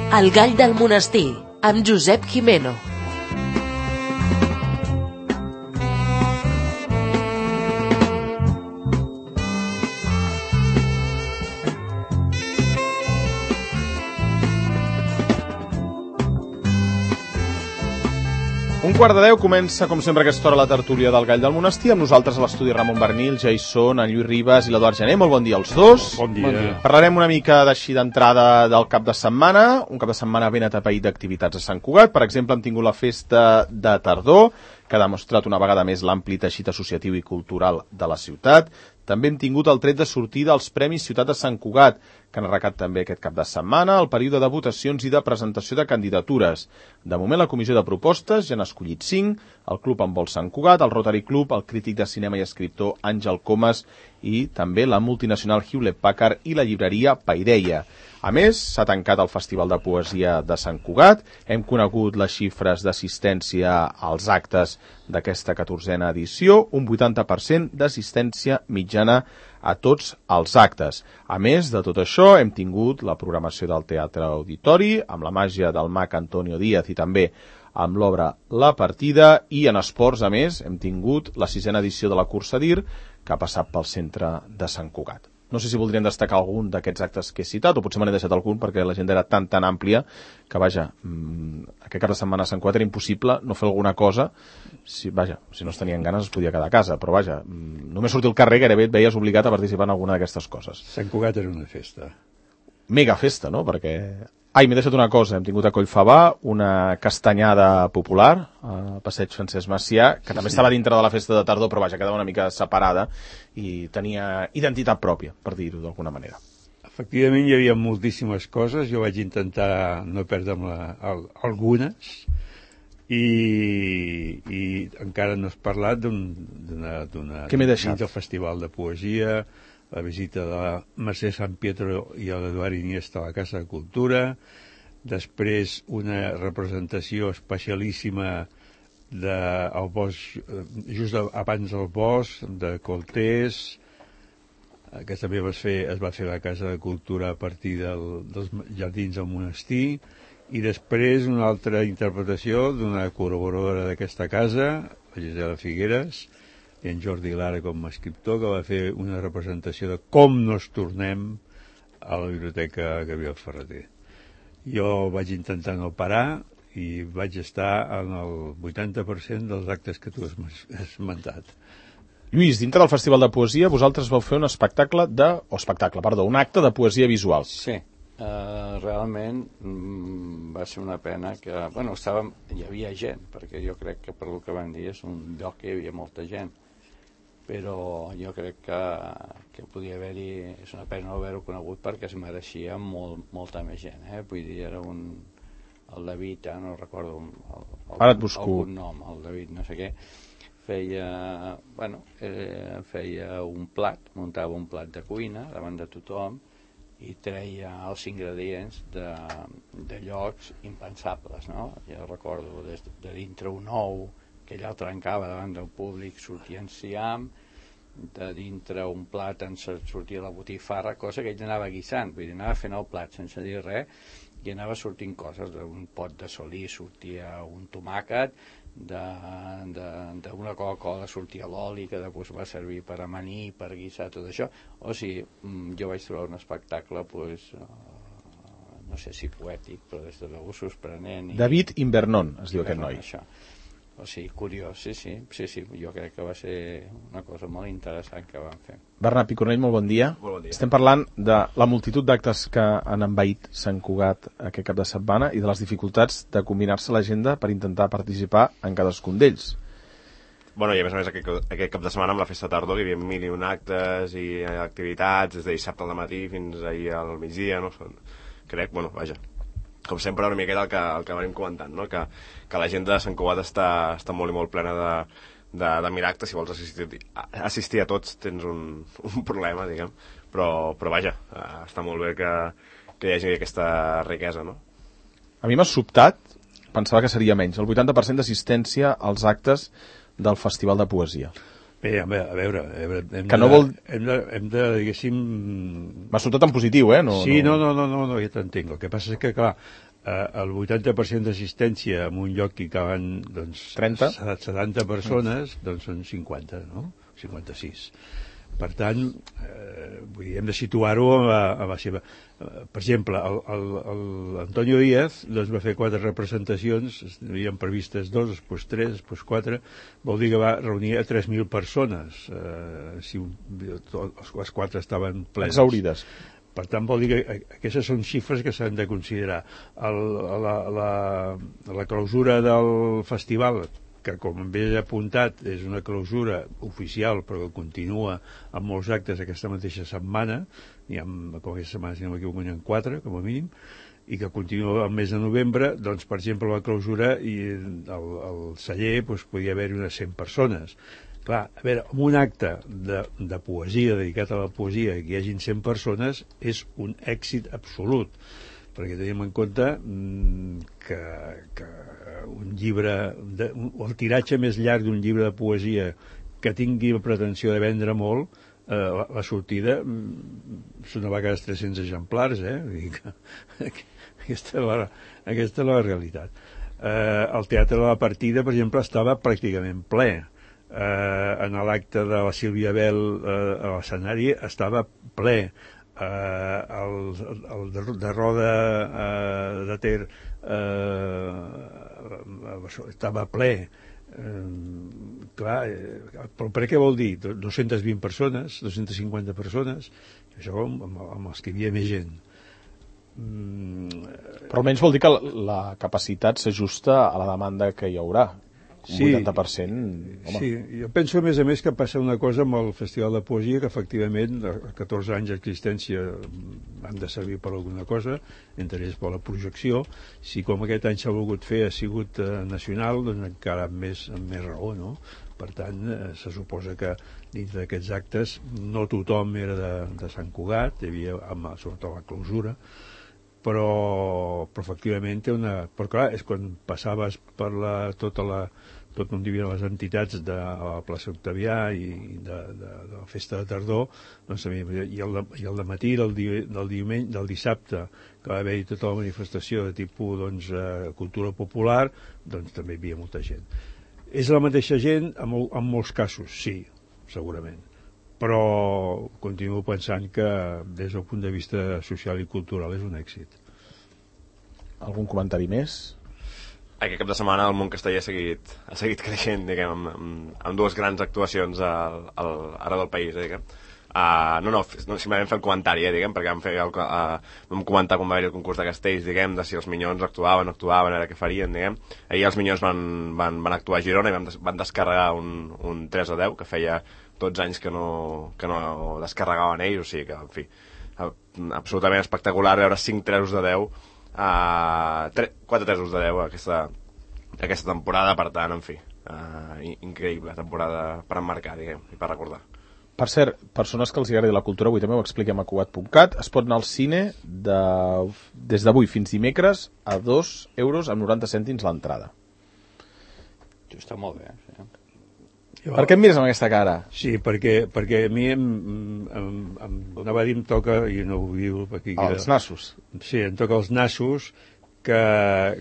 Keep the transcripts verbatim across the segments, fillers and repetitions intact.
El gall del monestir, amb Josep Gimeno. Un quart de deu comença, com sempre, aquesta hora la tertúlia del Gall del Monestir. Amb nosaltres a l'estudi Ramon Bernil, Jason, en Lluís Ribas i l'Eduard Gené. Molt bon dia als dos. Bon dia. Bon dia. Parlarem una mica d'així d'entrada del cap de setmana. Un cap de setmana ben atapeït d'activitats a Sant Cugat. Per exemple, hem tingut la festa de tardor, que ha demostrat una vegada més l'ampli teixit associatiu i cultural de la ciutat. També hem tingut el tret de sortida als Premis Ciutat de Sant Cugat, que han arrencat també aquest cap de setmana, el període de votacions i de presentació de candidatures. De moment, la comissió de propostes ja n'ha escollit cinc, el Club Handbol Sant Cugat, el Rotary Club, el crític de cinema i escriptor Àngel Comas i també la multinacional Hewlett-Packard i la llibreria Paideia. A més, s'ha tancat el Festival de Poesia de Sant Cugat, hem conegut les xifres d'assistència als actes d'aquesta catorzena edició, un vuitanta per cent d'assistència mitjana a tots els actes. A més de tot això, hem tingut la programació del Teatre Auditori, amb la màgia del mag Antonio Díaz i també amb l'obra La Partida, i en esports, a més, hem tingut la sisena edició de la Cursa d'Ir, que ha passat pel centre de Sant Cugat. No sé si voldrien destacar algun d'aquests actes que he citat, o potser me n'he deixat algun perquè l'agenda era tan tan àmplia que, vaja, mmm, aquest cap de setmana a Sant Cugat era impossible no fer alguna cosa. Si, vaja, si no es tenien ganes es podia quedar a casa, però vaja, mmm, només sortir al carrer gairebé et veies obligat a participar en alguna d'aquestes coses. Sant Cugat era una festa. Mega festa, no? Perquè... Ai, m'he deixat una cosa, hem tingut a Collfabà una castanyada popular a Passeig Francesc Macià, que sí, també sí. Estava dintre de la festa de tardor, però vaja, quedava una mica separada i tenia identitat pròpia, per dir-ho d'alguna manera. Efectivament, hi havia moltíssimes coses, jo vaig intentar no perdre'm la, el, algunes, i, i encara no has parlat d'una... Què m'he deixat? Del Festival de Poesia, la visita de la Mercè Sant Pietro i l'Eduard Iniesta a la Casa de Cultura, després una representació especialíssima del bosc, just abans del bosc, de Coltés, que també es, fer, es va fer a la Casa de Cultura a partir del, dels jardins del monestir, i després una altra interpretació d'una col·laboradora d'aquesta casa, la Gisela Figueres, i en Jordi Lara com a escriptor, que va fer una representació de com nos tornem a la biblioteca Gabriel Ferreter. Jo vaig intentar no parar i vaig estar en el vuitanta per cent dels actes que tu has esmentat. Lluís, dintre del Festival de Poesia, vosaltres vau fer un espectacle de... o espectacle, perdó, un acte de poesia visual. Sí, uh, realment mm, va ser una pena que... Bueno, estàvem, hi havia gent, perquè jo crec que per el que van dir és un lloc que hi havia molta gent, però jo crec que, que podia haver-hi, és una pena no haver-ho conegut perquè es mereixia molt, molta més gent, eh? Vull dir, era un, el David, eh? No recordo el, el, Ara et busco. el nom, el David no sé què, feia, bueno, eh, feia un plat, muntava un plat de cuina davant de tothom i treia els ingredients de, de llocs impensables, no? Jo recordo de, de dintre un ou que ella el trencava davant del públic, sortia enciam, de dintre un plat en sortia la botifarra, cosa que ell anava guisant, vull dir, anava fent el plat sense dir res, i anava sortint coses, d'un pot de solí sortia un tomàquet, d'una Coca-Cola sortia l'oli, que després va servir per amanir, per guisar, tot això. O sigui, jo vaig trobar un espectacle, pues, no sé si poètic, però des de l'algú sorprenent. I... David Invernon, es diu aquest noi. Això. O sigui, curiós, sí, sí, sí, sí, jo crec que va ser una cosa molt interessant que van fer. Bernat Picornell, molt bon dia. Molt bon dia. Estem parlant de la multitud d'actes que han envaït Sant Cugat aquest cap de setmana i de les dificultats de combinar-se l'agenda per intentar participar en cadascun d'ells. Bueno, i a més a més aquest, aquest cap de setmana amb la festa tardor hi havia mil i un actes i activitats des de dissabte al matí fins ahir al migdia, no? Crec, bueno, vaja, com sempre una miqueta el que, el que venim comentant, no? que, que l'agenda de Sant Cugat està, està molt i molt plena de, de, de miracles. Si vols assistir, assistir a tots tens un, un problema, diguem, però, però vaja, està molt bé que, que hi hagi aquesta riquesa, no? A mi m'ha sobtat, pensava que seria menys, el vuitanta per cent d'assistència als actes del Festival de Poesia. Bé, a veure, a veure, a veure hem, que de, no vol... hem, de, hem de, diguéssim... M'ha sobtat en positiu, eh? No, sí, no, no, no, no, no, no ja t'entenc. El que passa és que, clar, el vuitanta per cent d'assistència en un lloc que hi caben doncs, trenta setanta persones, doncs són cinquanta, no? cinquanta-sis. Per tant, eh, vull dir, hem de situar-ho a, la, a la seva... Eh, per exemple, el, el, el Antonio Díaz doncs, va fer quatre representacions, havien previstes dos, després tres, després quatre, vol dir que va reunir a tres mil persones, eh, si les quatre estaven plenes. Exaurides. Per tant, vol dir que aquestes són xifres que s'han de considerar. El, la, la, la clausura del festival, que com bé he apuntat és una clausura oficial però que continua amb molts actes aquesta mateixa setmana, n'hi ha, com aquesta setmana si no m'equivoco n'hi ha quatre com a mínim, i que continua el mes de novembre, doncs per exemple la clausura i el, el celler doncs, podia haver-hi unes cent persones. Clar, a veure, en un acte de, de poesia dedicat a la poesia que hi hagin cent persones és un èxit absolut, perquè tenim en compte que, que un llibre, de, el tiratge més llarg d'un llibre de poesia que tingui la pretensió de vendre molt, eh, la, la sortida són a vegades tres-cents exemplars, eh? Vull dir que, aquesta, és la, aquesta és la realitat. Eh, el Teatre de la Partida, per exemple, estava pràcticament ple. Eh, en l'acte de la Sílvia Bel eh, a l'escenari estava ple. Uh, el, el de, de Roda uh, de Ter uh, estava ple, uh, clar, uh, però per què vol dir? dos-centes vint persones, dos-centes cinquanta persones, això amb, amb els que hi havia més gent. Mm. Però almenys vol dir que la, la capacitat s'ajusta a la demanda que hi haurà. Un sí, vuitanta per cent, home. Sí, jo penso a més a més que passa una cosa amb el Festival de Poesia, que efectivament a catorze anys d'existència han de servir per alguna cosa, entre ells per la projecció. Si com aquest any s'ha volgut fer ha sigut eh, nacional, doncs encara amb més, amb més raó, no? Per tant, eh, se suposa que dins d'aquests actes no tothom era de, de Sant Cugat, hi havia amb, sobretot la clausura, però, però efectivament té una... Però clar, és quan passaves per la, tota la... tot on hi havia les entitats de la plaça Octavià i de, de, de la festa de tardor, doncs, i, el de, i el de matí del, di, del diumenge, del dissabte, que va haver-hi tota la manifestació de tipus doncs, eh, cultura popular, doncs també hi havia molta gent. És la mateixa gent en, mol, en molts casos, sí, segurament, però continuo pensant que des del punt de vista social i cultural és un èxit. Algun comentari més? Aquest cap de setmana el món castellà ha seguit, ha seguit creixent, diguem, amb, amb, amb dues grans actuacions al, al, arreu del país, eh, diguem. Uh, no, no, no, simplement fer el comentari, eh, diguem, perquè vam, fer el, uh, vam comentar quan va haver el concurs de castells, diguem, de si els Minyons actuaven, no actuaven, era què farien, diguem. Ahir els Minyons van, van, van actuar a Girona i van, des, van descarregar un, un tres a deu, que feia dotze anys que no, que no descarregaven ells, o sigui que, en fi, absolutament espectacular veure cinc tresos de deu, uh, quatre tresos de deu aquesta, aquesta temporada, per tant, en fi, uh, increïble temporada per emmarcar, diguem, i per recordar. Per cert, persones que els agradi la cultura, avui també ho expliquem a cugat punt cat, es pot anar al cine de, des d'avui fins dimecres a dos euros amb noranta cèntims l'entrada. Això està molt bé, sí. Per què em mires amb aquesta cara? Sí, perquè, perquè a mi em, em, em, anava a dir em toca, i no ho diu aquí... Els que, nassos. Sí, em toca els nassos, que,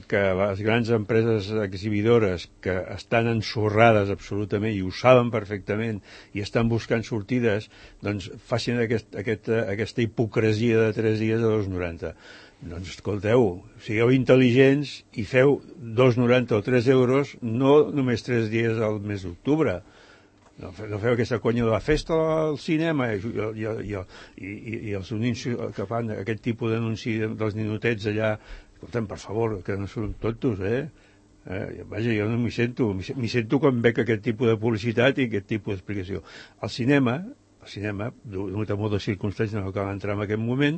que les grans empreses exhibidores que estan ensorrades absolutament i ho saben perfectament i estan buscant sortides, doncs facin aquest, aquest, aquesta hipocresia de tres dies a dos coma noranta. Doncs escolteu, sigueu intel·ligents i feu dos coma noranta o tres euros, no només tres dies al mes d'octubre. No, no feu aquesta conya de la festa al cinema i, i, i, i, i els anuncis que fan aquest tipus d'anunci dels ninotets allà. Escolta'm, per favor, que no són tontos, eh? eh vaja, jo no m'hi sento. M'hi sento quan veig aquest tipus de publicitat i aquest tipus d'explicació. Al cinema, al cinema, donat a moltes circumstàncies no cal entrar en aquest moment,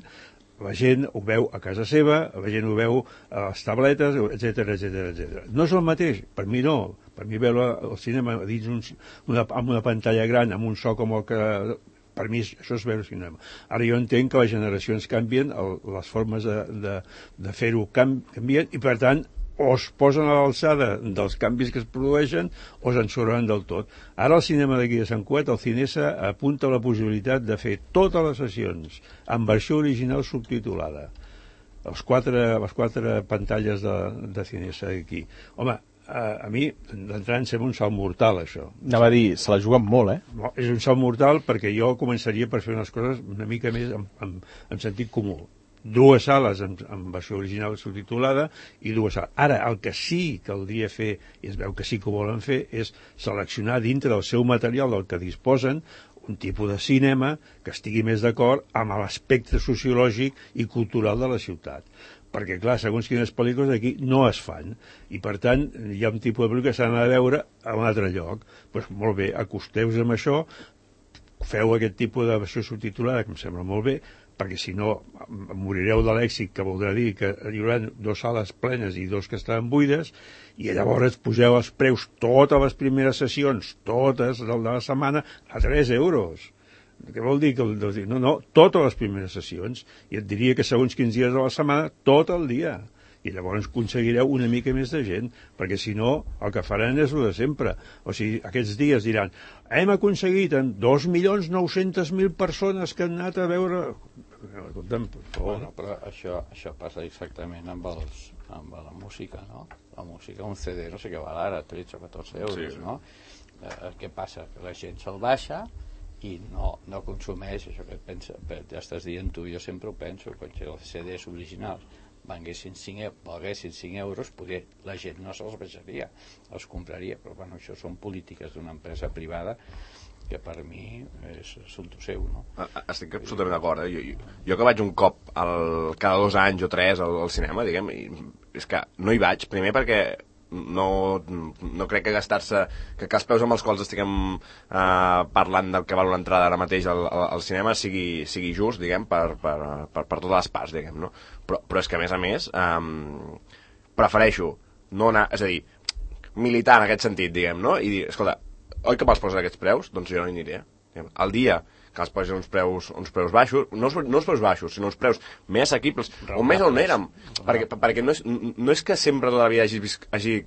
la gent ho veu a casa seva, la gent ho veu a les tabletes, etcètera, etcètera, etcètera. No és el mateix, per mi no. Per mi veure al cinema dins un, una, amb una pantalla gran, amb un so com el que... Per mi això és veure cinema. Ara jo entenc que les generacions canvien, el, les formes de, de, de fer-ho canvien, i per tant o es posen a l'alçada dels canvis que es produeixen o s'ensorren del tot. Ara el cinema d'aquí de Sant Cugat, el Cinesa, apunta a la possibilitat de fer totes les sessions en versió original subtitulada. les quatre, les quatre pantalles de, de Cinesa aquí. Home, a, a mi, d'entrada, em sembla un salt mortal, això. Anava a dir, se la juguen molt, eh? No, és un salt mortal perquè jo començaria per fer unes coses una mica més en, en, en sentit comú. Dues sales en, en versió original subtitulada i dues sales. Ara, el que sí caldria fer, i es veu que sí que ho volen fer, és seleccionar dintre del seu material del que disposen un tipus de cinema que estigui més d'acord amb l'aspecte sociològic i cultural de la ciutat. Perquè, clar, segons quines pel·lícules d'aquí no es fan. I, per tant, hi ha un tipus de pel·lícula que s'han de veure a un altre lloc. Doncs, pues, molt bé, acosteu-vos amb això, feu aquest tipus de versió subtitulada, que em sembla molt bé, perquè si no morireu de l'èxit, que voldrà dir que hi haurà dues sales plenes i dos que estaven buides, i llavors poseu els preus, totes les primeres sessions, totes de la setmana, a tres euros. Què vol dir? Que no, no, totes les primeres sessions, i et diria que segons quins dies de la setmana, tot el dia. I llavors aconseguireu una mica més de gent, perquè si no, el que faran és el de sempre. O sigui, aquests dies diran, hem aconseguit en dos milions nou-cents mil persones que han anat a veure... Bueno, però això, això passa exactament amb, els, amb la música, no? La música, un C D, no sé què val ara, tretze o catorze euros, sí. No? Eh, què passa? Que la gent se'l baixa i no, no consumeix això que pensa, ja estàs dient tu, jo sempre ho penso, quan els C Ds originals valguessin cinc euros, poder la gent no se'ls baixaria, els compraria, però bueno, això són polítiques d'una empresa privada que per mi és assumpte seu, no? Estic absolutament d'acord, eh? Jo, jo, jo que vaig un cop al, cada dos anys o tres al, al cinema, diguem, i és que no hi vaig, primer perquè no, no crec que gastar-se, que, que els preus amb els quals estiguem eh, parlant del que val una entrada ara mateix al, al, al cinema sigui, sigui just, diguem, per, per, per, per totes les parts, diguem, no? Però, però és que, a més a més, eh, prefereixo no anar, és a dir, militar en aquest sentit, diguem, no? I dir, escolta, oi que me'ls posen aquests preus? Doncs jo no hi aniré. El dia que els posen uns preus, uns preus baixos, no, no els preus baixos, sinó uns preus més assequibles, o més on érem, perquè, perquè no, és, no és que sempre tota la vida hagi, hagi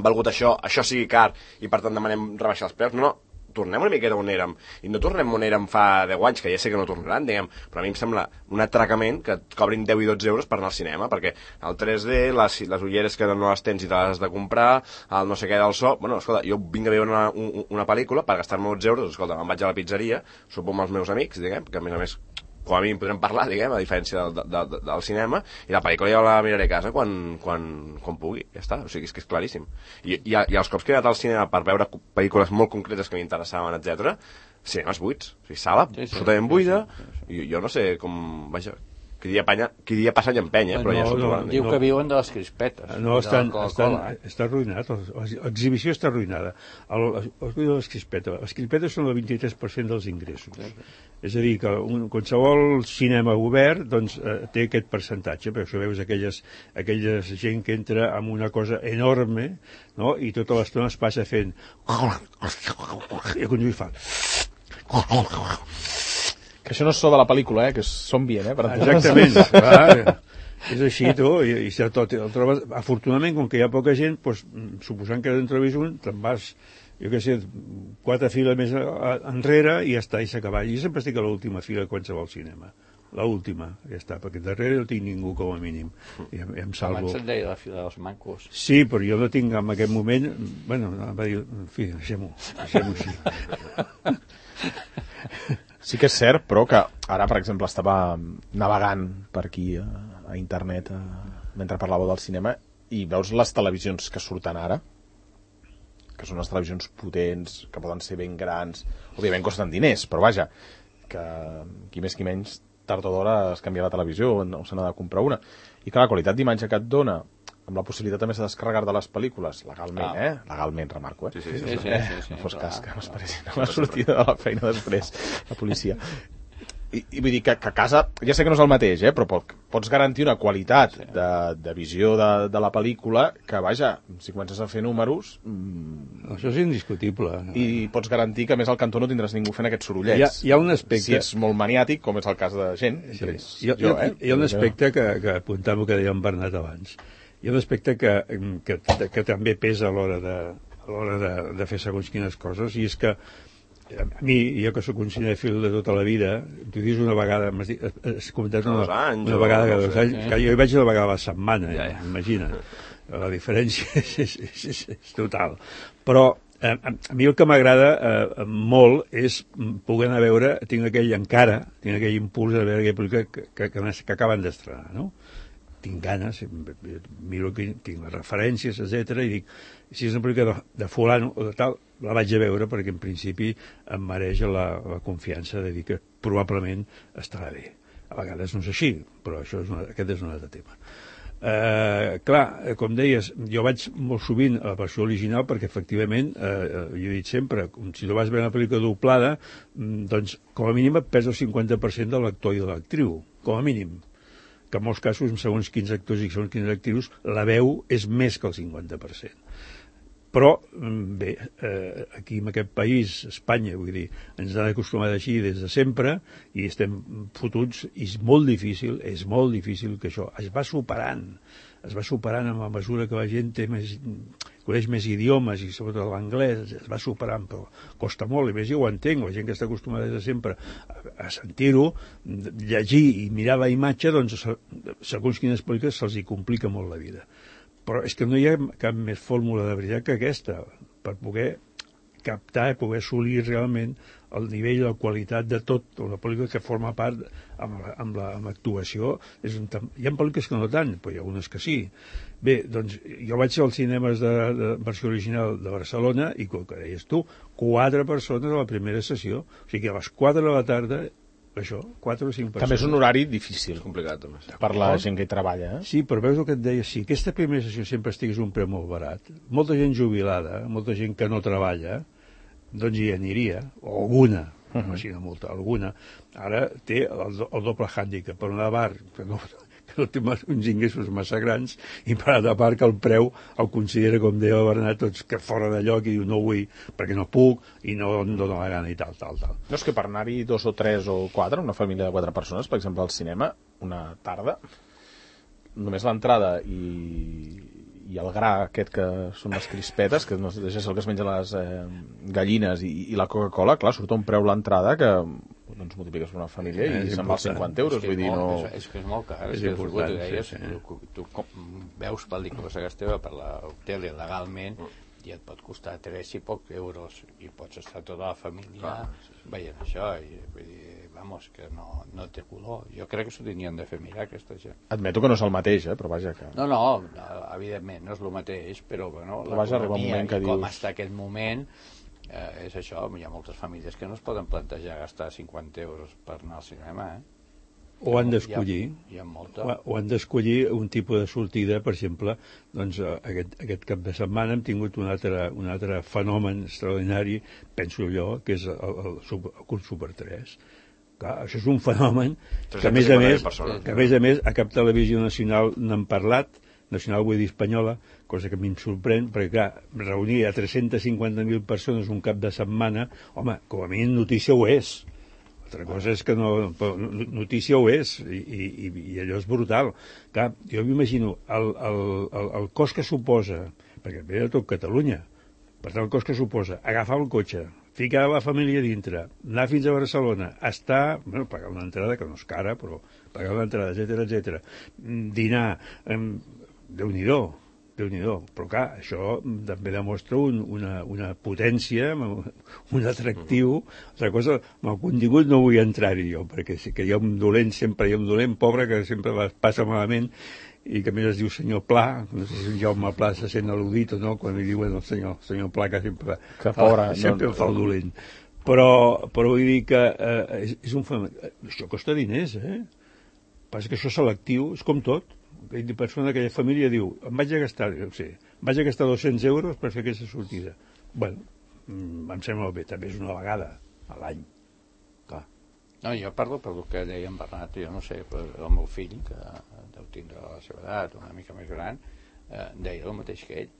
valgut això, això sigui car, i per tant demanem rebaixar els preus, no, no, tornem una miqueta on érem, i no tornem on érem fa deu anys, que ja sé que no tornaran, diguem, però a mi em sembla un atracament que et cobrin deu i dotze euros per anar al cinema, perquè el tres D, les, les ulleres que no les tens i te les has de comprar, el no sé què del so, bueno, escolta, jo vinc a veure una, una, una pel·lícula per gastar-me dotze euros, escolta, me'n vaig a la pizzeria, sopo amb els meus amics, diguem, que a més a més com a mínim podrem parlar, diguem, a diferència del, del, del, del cinema, i la pel·lícula ja la miraré a casa quan, quan, quan pugui, ja està, o sigui, és que és claríssim. I, i, i els cops que he anat al cinema per veure pel·lícules molt concretes que m'interessaven, etcètera, cinemes buits, o sigui, sala sí, sí, absolutament buida, sí, sí, sí. I jo no sé com, vaja, qui dia, panya, qui dia passa i empenya, però no, ja s'ho no, trobaran. Diu no. Que viuen de les crispetes. No, estan, estan, està arruïnat, l'exhibició està arruïnada. El, el, les crispetes, les crispetes són el vint-i-tres per cent dels ingressos. Sí, sí. És a dir, que un, qualsevol cinema obert doncs, eh, té aquest percentatge, perquè això veus aquelles, aquella gent que entra amb una cosa enorme, no? I tota l'estona es passa fent... I quan hi fa... Que això no és so de la pel·lícula, eh? Que és som bien, eh? Per exactament, clar, és així, tu, i, i si el, tot, el trobes, afortunadament, com que hi ha poca gent, doncs, suposant que en trobis un, te'n vas, jo què sé, quatre files més enrere i ja està, i s'ha acabat. Jo sempre estic a l'última fila de qualsevol cinema. L'última, ja està, perquè darrere no tinc ningú com a mínim. I em, em salvo. Abans se'n deia la fila dels mancos. Sí, però jo no tinc en aquest moment... Bueno, va dir, en fi, deixem-ho, deixem-ho així. Sí que és cert, però que ara, per exemple, estava navegant per aquí a, a internet a, mentre parlàveu del cinema i veus les televisions que surten ara, que són unes televisions potents, que poden ser ben grans, òbviament costen diners, però vaja, que qui més qui menys, tard o d'hora es canvia la televisió o se n'ha de comprar una. I que la qualitat d'imatge que et dona, amb la possibilitat també de descarregar de les pel·lícules, legalment, ah. eh? Legalment, remarco, eh? Sí, sí, sí. sí, sí, sí, sí no fos clar, cas que m'esperessin a clar. la sortida de la feina després, la policia. I, i vull dir que, que a casa, ja sé que no és el mateix, eh? Però pots garantir una qualitat sí. de, de visió de, de la pel·lícula que, vaja, si comences a fer números... Mmm, això és indiscutible. I pots garantir que, a més, al cantó no tindràs ningú fent aquests sorollets. Hi ha, hi ha un aspecte... Si ets molt maniàtic, com és el cas de gent, sí. hi, ha, jo, eh? Hi ha un aspecte que, que apuntava que deia en Bernat abans. Hi ha un aspecte que, que, que també pesa a l'hora de, a l'hora de, de fer segons quines coses, i és que a mi, jo que sóc un cinèfil de tota la vida, t'ho dius una vegada, m'has dit, has comentat una, anys, una vegada no cada dos sé. anys, que jo hi vaig una vegada a la setmana, Ja, ja, ja. imagina. La diferència és, és, és, és, és total. Però eh, a, a mi el que m'agrada eh, molt és poder anar a veure, tinc aquell encara, tinc aquell impuls de veure aquella pel·lícula que, que, que, que acaben d'estrenar, no? Tinc ganes, miro que tinc les referències, etcètera, i dic, si és una pel·lícula de, de fulano o de tal, la vaig a veure perquè en principi em mereix la, la confiança de dir que probablement estarà bé. A vegades no és així, però això és una, aquest és un altre tema. Uh, clar, com deies, jo vaig molt sovint a la versió original perquè efectivament, uh, jo he dit sempre, si tu vas veure una pel·lícula doblada, doncs com a mínim et pesa el cinquanta per cent de l'actor i de l'actriu, com a mínim, que en molts casos, segons quins actors i segons quins actrius, la veu és més que el cinquanta per cent. Però, bé, eh, aquí en aquest país, Espanya, vull dir, ens han acostumat així des de sempre i estem fotuts, i és molt difícil, és molt difícil que això es va superant, es va superant a mesura que la gent té més, coneix més idiomes i sobretot l'anglès, es va superant, però costa molt, i més jo ho entenc, la gent que està acostumada des de sempre a, a sentir-ho, llegir i mirar la imatge, doncs segons quines pel·lícules se'ls hi complica molt la vida. Però és que no hi ha cap més fórmula de veritat que aquesta per poder captar i poder assolir realment el nivell i la qualitat de tot una pel·lícula que forma part amb, la, amb, la, amb l'actuació. És un, hi ha pel·lícules que no tant, però hi ha unes que sí. Bé, doncs jo vaig als cinemes de, de versió original de Barcelona i, com que deies tu, quatre persones a la primera sessió. O sigui que a les quatre de la tarda, això, quatre o cinc persones. També és un horari difícil. És complicat, també. Per la gent que hi treballa, eh? Sí, però veus el que et deia, si aquesta primera sessió sempre estigués un preu molt barat, molta gent jubilada, molta gent que no treballa, doncs hi aniria, o alguna, uh -huh. no, molta, alguna. Ara té el, el doble hàndicap, per una part, que no, que no té uns ingressos massa grans, i per altra part que el preu el considera, com deia el Bernat, tots que fora de lloc, i diu no vull perquè no puc i no em dóna la gana i tal, tal, tal. No, és que per anar-hi dos o tres o quatre, una família de quatre persones, per exemple, al cinema, una tarda, només l'entrada i, i el gra aquest que són les crispetes, que no deixa ser el que es menja les eh, gallines, i, i la Coca-Cola, clar, surt a un preu l'entrada que doncs multipliques per una família i és se'n va als cinquanta euros, vull dir, no... És, és que és molt car, És és, que important, tu deies, sí, sí. tu, tu com, veus pel·lícules a casa teva per la tele legalment i et pot costar tres i pocs euros i pots estar tota la família veient això i vull dir, vamos, que no, no té color. Jo crec que s'ho tenien de fer mirar aquesta gent. Admeto que no és el mateix, eh, però vaja que... No, no, evidentment no és el mateix, però bueno, però vaja, arriba un moment que i com dius... està aquest moment eh, és això, hi ha moltes famílies que no es poden plantejar gastar cinquanta euros per anar al cinema, eh? O han d'escollir, hi ha, hi ha molta. o, o han d'escollir un tipus de sortida, per exemple, doncs aquest, aquest cap de setmana hem tingut un altre, un altre fenomen extraordinari, penso jo, que és el, el, el, el curs Super tres. Clar, això és un fenomen que a més a més, que a més a més a cap televisió nacional n'han parlat, nacional vull dir espanyola, cosa que a mi em sorprèn, perquè clar, reunir a tres-centes cinquanta mil persones un cap de setmana, home, com a mínim notícia ho és. Altra cosa és que no, notícia ho és, i, i, i allò és brutal. Clar, jo m'imagino el, el, el, el cost que suposa, perquè ve de tot Catalunya, per tant el cost que suposa agafar el cotxe, ficar la família dintre, anar fins a Barcelona, estar, bueno, pagar una entrada que no és cara, però pagar una entrada, etcètera, etcètera, dinar, eh, Déu-n'hi-do, Déu-n'hi-do. Però clar, això també demostra un, una, una potència, un atractiu. Altra cosa, amb el contingut no vull entrar-hi jo, perquè sí que hi ha un dolent, sempre hi ha un dolent pobre que sempre passa malament i que a més es diu senyor Pla, no sé si Jaume Pla se sent al·ludit o no, quan li diuen el senyor, senyor Pla, que sempre, que pobre, fa, sempre no, fa el dolent. Però, però vull dir que eh, és, és un fenomen. Això costa diners, eh? Passa que això és selectiu, és com tot. Aquella persona, aquella família diu, em vaig a gastar, no sé, em vaig a gastar dos-cents euros per fer aquesta sortida. Bueno, em sembla bé, també és una vegada a l'any. Clar. No, jo parlo per el que deia en Bernat, jo no sé, però el meu fill, que deu tindre la seva edat, una mica més gran, eh, deia el mateix que ell.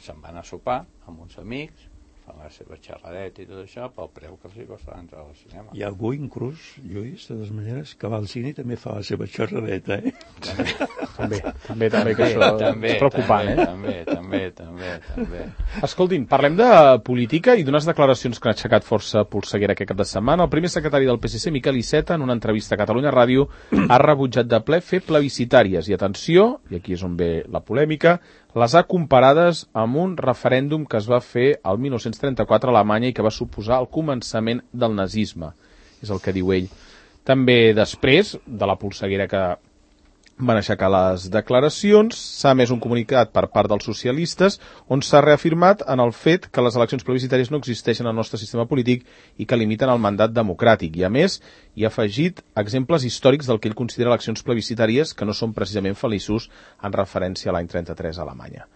Se'n van a sopar amb uns amics, fan la seva xerradeta i tot això, pel preu que els hi costa entrar al cinema. Hi ha algú inclús, Lluís, de totes maneres, que va al cine i també fa la seva xerradeta, eh? també, també, també, que això també, és preocupant, també, eh? També, també. també, també, també. Escoltin, parlem de política i d'unes declaracions que han aixecat força polseguera aquest cap de setmana. El primer secretari del P S C, Miquel Iceta, en una entrevista a Catalunya Ràdio, ha rebutjat de ple fer plebiscitàries. I atenció, i aquí és on ve la polèmica, les ha comparades amb un referèndum que es va fer el mil nou-cents trenta-quatre a Alemanya i que va suposar el començament del nazisme. És el que diu ell. També després de la polseguera que van aixecar les declaracions, s'ha emès un comunicat per part dels socialistes on s'ha reafirmat en el fet que les eleccions plebiscitàries no existeixen al nostre sistema polític i que limiten el mandat democràtic. I a més, hi ha afegit exemples històrics del que ell considera eleccions plebiscitàries que no són precisament feliços en referència a l'any trenta-tres a Alemanya.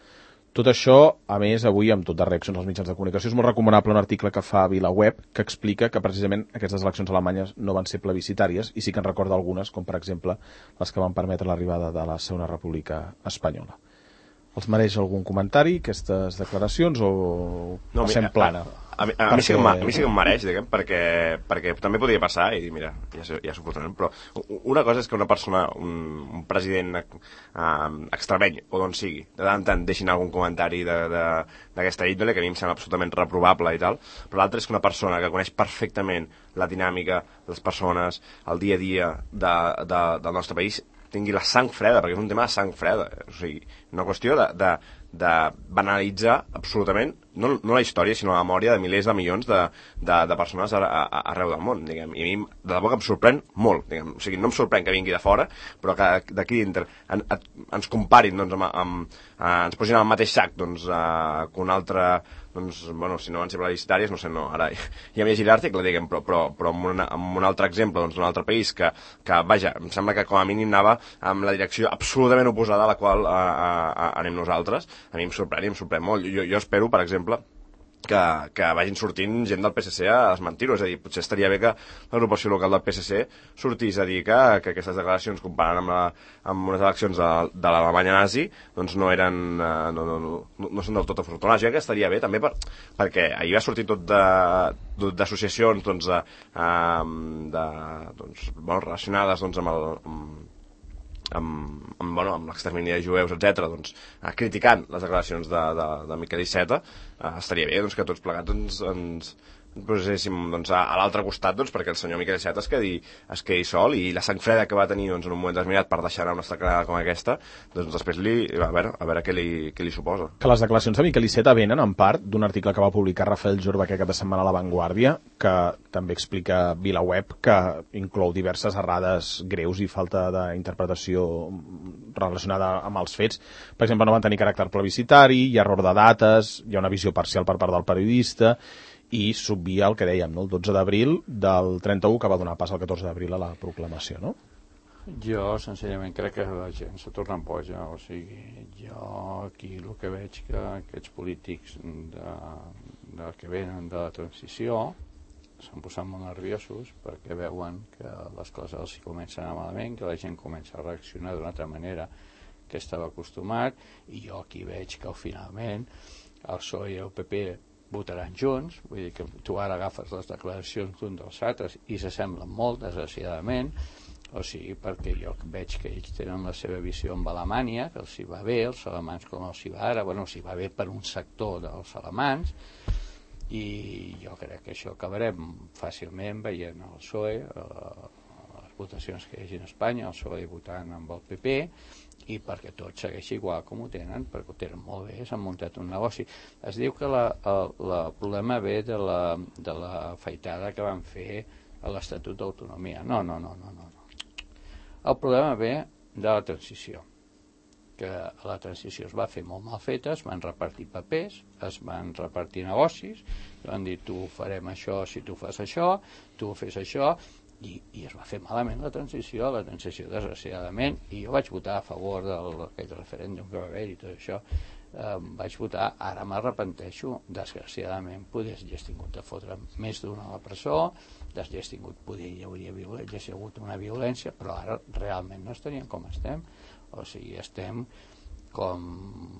Tot això, a més, avui, amb tot de reaccions als mitjans de comunicació, és molt recomanable un article que fa a VilaWeb que explica que precisament aquestes eleccions alemanyes no van ser plebiscitàries i sí que en recorda algunes, com per exemple les que van permetre l'arribada de la Segona República Espanyola. Els mereix algun comentari, aquestes declaracions, o no, passem mi, plana? A, a, a, a, mi sí que, a mi sí que em mereix, diguem, perquè, perquè també podria passar i dir, mira, ja, ja s'ho fotrem, però una cosa és que una persona, un, un president uh, extremeny, o d'on sigui, de tant en tant deixin algun comentari d'aquesta índole, que a mi em sembla absolutament reprovable i tal, però l'altre és que una persona que coneix perfectament la dinàmica de les persones, el dia a dia de, de, del nostre país, tingui la sang freda, perquè és un tema de sang freda, o sigui, una qüestió de, de, de banalitzar absolutament, no, no la història, sinó la memòria de milers de milions de, de, de persones a, a, arreu del món, diguem, i a mi de debò que em sorprèn molt, diguem, o sigui, no em sorprèn que vingui de fora, però que d'aquí dintre en, en, ens comparin, doncs, amb, amb, eh, ens posin al mateix sac, doncs, eh, que un altre, doncs, bueno, si no van ser plebiscitàries, no sé, no, ara ja m'he llegit l'article, diguem, però, però, però amb, una, amb un altre exemple, doncs, d'un altre país que, que, vaja, em sembla que com a mínim anava amb la direcció absolutament oposada a la qual a, a, a, anem nosaltres, a mi em sorprèn i em sorprèn molt. Jo, jo espero, per exemple, que, que vagin sortint gent del P S C a desmentir-ho, és a dir, potser estaria bé que l'agrupació local del P S C sortís a dir que, que aquestes declaracions comparant amb, la, amb unes eleccions de, de l'Alemanya nazi doncs no eren, no, no, no, no són del tot afortunades. Jo crec que estaria bé també per, perquè ahir va sortir tot d'associacions doncs, de, de, doncs, bueno, relacionades doncs, amb el amb, amb, amb, bueno, amb l'extermini de jueus, etcètera, doncs, eh, criticant les declaracions de, de, de Miquel Iceta, eh, estaria bé doncs, que tots plegats ens, ens poséssim doncs, a, a l'altre costat doncs, perquè el senyor Miquel Iceta es quedi, es quedi sol i la sang freda que va tenir doncs, en un moment determinat per deixar anar una estacada com aquesta, doncs després li, a veure, a veure què li, què li suposa. Que les declaracions de Miquel Iceta venen en part d'un article que va publicar Rafael Jorba aquest cap de setmana a La Vanguardia, que també explica VilaWeb, que inclou diverses errades greus i falta d'interpretació relacionada amb els fets. Per exemple, no van tenir caràcter plebiscitari, hi ha error de dates, hi ha una visió parcial per part del periodista, i s'obvia el que dèiem, no? El dotze d'abril del trenta-u, que va donar pas al catorze d'abril a la proclamació, no? Jo, senzillament, crec que la gent se torna boja, o sigui, jo aquí el que veig que aquests polítics de, de que venen de la transició s'han posat molt nerviosos perquè veuen que les coses els comencen a anar malament, que la gent comença a reaccionar d'una altra manera que estava acostumat, i jo aquí veig que finalment el P S O E i el P P votaran junts, vull dir que tu ara agafes les declaracions d'un dels altres i s'assemblen molt, desgraciadament, o sigui, perquè jo veig que ells tenen la seva visió amb Alemanya, que els hi va bé, els alemans com els hi va ara, bueno, els hi va bé per un sector dels alemans, i jo crec que això acabarem fàcilment veient el P S O E, eh, les votacions que hi hagi a Espanya, el P S O E votant amb el P P, i perquè tot segueix igual com ho tenen, perquè ho tenen molt bé, s'han muntat un negoci. Es diu que la, el, la problema ve de la, de la feitada que van fer a l'Estatut d'Autonomia. No, no, no, no, no. El problema ve de la transició, que la transició es va fer molt mal feta, es van repartir papers, es van repartir negocis, van dir tu farem això si tu fas això, tu fes això, I, i es va fer malament la transició, la transició desgraciadament, i jo vaig votar a favor d'aquell referèndum que va haver i tot això, eh, vaig votar, ara m'arrepenteixo, desgraciadament podries haver tingut de fotre més d'una a la presó, hauries tingut, poder hi hauria hauria hagut una violència, però ara realment no estaríem com estem, o sigui, estem com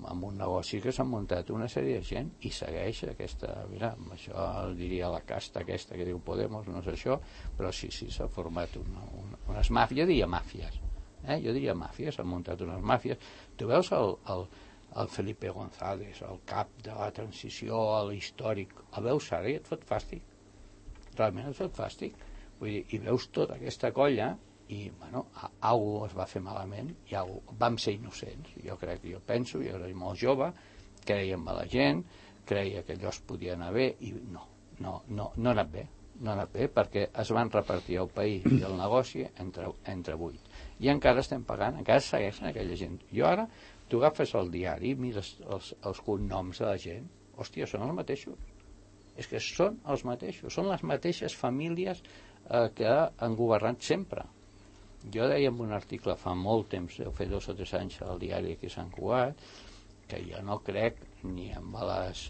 amb un negoci que s'ha muntat una sèrie de gent i segueix aquesta, mira, això el diria la casta aquesta que diu Podemos, no és això, però sí, sí, s'ha format una, una, unes màfies, jo diria màfies, eh? jo diria màfies, s'han muntat unes màfies. Tu veus el, el, el Felipe González, el cap de la transició, l'històric, el veus ara i et fot fàstic. Realment et fot fàstic. Vull dir, i veus tota aquesta colla i, bueno, algú es va fer malament i algú, vam ser innocents. Jo crec que jo penso, jo era molt jove, creia en la gent, creia que allò es podia anar bé i no, no, no, no ha anat bé. No ha anat bé perquè es van repartir el país i el negoci entre, entre vuit. I encara estem pagant, encara segueixen aquella gent. Jo ara, tu agafes el diari, mires els, els cognoms de la gent, hòstia, són els mateixos. És que són els mateixos, són les mateixes famílies eh, que han governat sempre. Jo deia en un article fa molt temps, deu fer dos o tres anys al diari aquí a Sant Cugat, que jo no crec ni amb les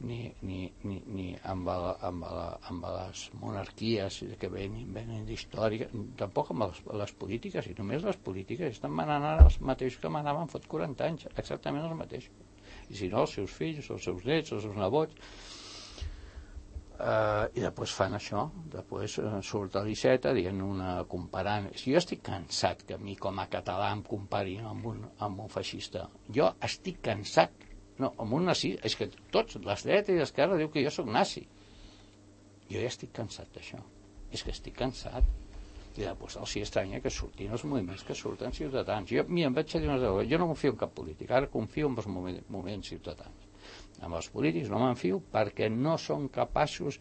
ni, ni, ni, ni amb, la, amb, la, amb les monarquies que venen, venen d'història, tampoc amb les, les polítiques, i només les polítiques estan manant ara els mateixos que manaven fot quaranta anys, exactament els mateixos. I si no, els seus fills, els seus nets, els seus nebots, Uh, i després fan això, després uh, surt a l'Iceta dient una comparant. Jo estic cansat que a mi com a català em comparin amb un, amb un feixista. Jo estic cansat, no, amb un nazi, és que tots, les dretes i l'esquerra diu que jo sóc nazi. Jo ja estic cansat d'això, és que estic cansat. I després els hi estranya que surtin els moviments que surten ciutadans. Jo, mira, em vaig a dir una cosa, jo no confio en cap polític, ara confio en els moviments, moviments ciutadans. Amb els polítics no m'enfio perquè no són capaços,